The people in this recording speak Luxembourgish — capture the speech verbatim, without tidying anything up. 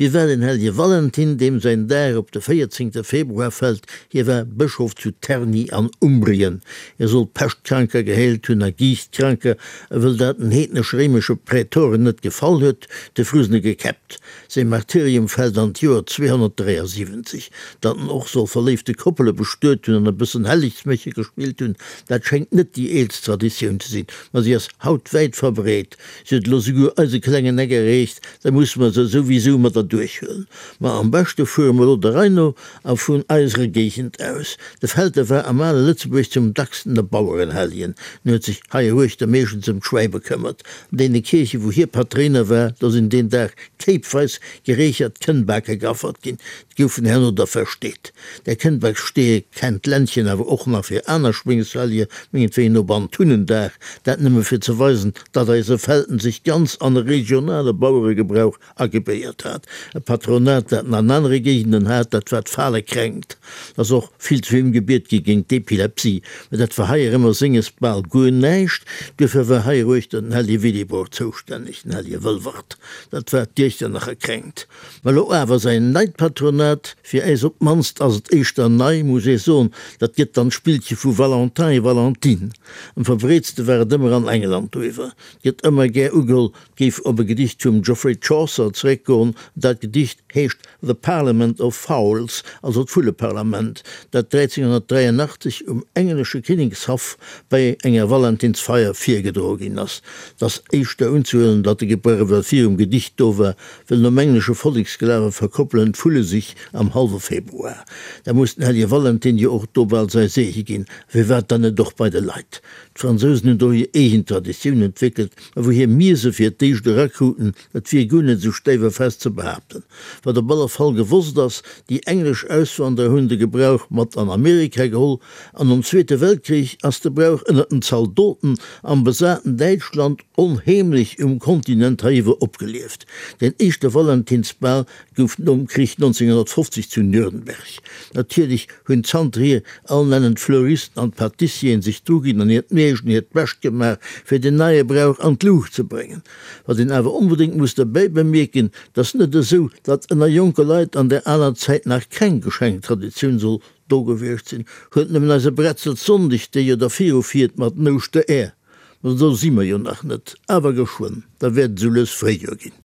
Wie war den hellege Valentin, deem säin Dag op de véierzéngte Februar fält? Hie war Bëschof zu Terni an Umbrien. Hie soll Peschtkranker geheelt hunn a Giichtkranker, a wëll dat den heednesch-réimesche Prätoren net gefall huet, de Frusene gekäppt. Säi Martyrium fält an d'Joer zweehonnertdräiasiwwenzeg. Datt en och soll verléifte Koppele bestuet hunn an e bëssen Hellegsméche gespillt hunn, dat schéngt net déi eelst Traditioun ze sinn, ma si ass haut wäit verbreet. Si huet elo souguer eise klengen Eck erreecht, da musse mer se souwisou mat erduerchhuelen. Ma am beschte fuere mer elo der Rei no a vun eiserer Géigend aus. De Felter war am ale Lëtzebuerg zum dacksten e Bauerenhelljen. En huet sech heieruechter meeschtens ëm d'Schwäi bekëmmert. An deene Kierche wou hie Patréiner war, do sinn deen Dag kéipweis gereechert Kënnbake geaffert ginn. Déi goufen herno da versteet. Där Kënnbaksteeë kennt d'Ländchen awer och nach fir aner Schwéngshellje, mengetwéien op Antunnendag, dat nëmme fir ze weisen, datt eise Felten sech ganz an e regionale Baueregebrauch agebéiert hat. E Patronat, dat en an anere Géigenden hat, dat war d'Falekränkt. 't ass och vill zu him gebiet gi géint d'Epilepsie, mä dat war heierëmmer senges bal guer näischt. Duerfir war heieruechter den Hellje Willibrord zoustänneg, den Hellje Wëlwert, dat war d'Iechternacher Kränkt. Mä lo awer säin neit Patronat, fir äis op d'mannst ass et éischter nei, muss ee soen, dat gëtt dann d'Spillche vu Valentin et Valentine. Am verbreetste war et ëmmer an England doiwwer. Et gëtt ëmmer gär ugeholl, et géif op e Gedicht vum Geoffrey Chaucer zeréckgoen. Dat Gedicht heescht The Parliament of Fowls, also d'Vulleparlament, dat dräizénghonnertdräienachtzeg um englesche Kinnekshaff bei enger Valentinsfeier virgedroe ginn ass. Et ass éischter unzehuelen, datt de Gebrauch ewell virum Gedicht do war, well nom englesche Volleksglawe verkoppelen d'Vulle sech am hallwe Februar. Da muss den hellege Valentin jo och do bal säi Seege ginn. Firwat dann net och bei de Leit? D'Fransousen hunn do hir eegen Traditioun entwéckelt, a wouhier mir se fir d'éischt erakruten, dat wier guer net esou stäif a fest ze behaapten. Wat op alle Fall gewosst ass, déi englesch Auswanderer hunn de Gebrauch mat an Amerika geholl, an nom Zweete Weltkrich ass de Brauch ënnert den Zaldoten am besaten Däitschland onheemlech um Kontinent heiiwwer opgelieft. Den éischte Valentinsbal gouf nom Krich nonzénghonnertfofzeg zu Nürnberg. Natierlech hunn zanterhier all nennen d'Fleuristen an d'Pâtissieren sech druginn an hiert Meescht an hiert Bescht gemaach, fir den neie Brauch an d'Luucht ze bréngen. Wat een awer onbedéngt muss derbäi bemierken, 't ass net esou, datt ënner jonke Leit an där aler Zäit nach keng Geschenktraditioun soll do gewiescht sinn. Huelt nëmmen eise Bretzelssonndeg, dee jo da virufiert mat den Ouschtereer. Ma do si mer jo nach net, awer geschwënn, da wäert et esou lues Fréijoer ginn.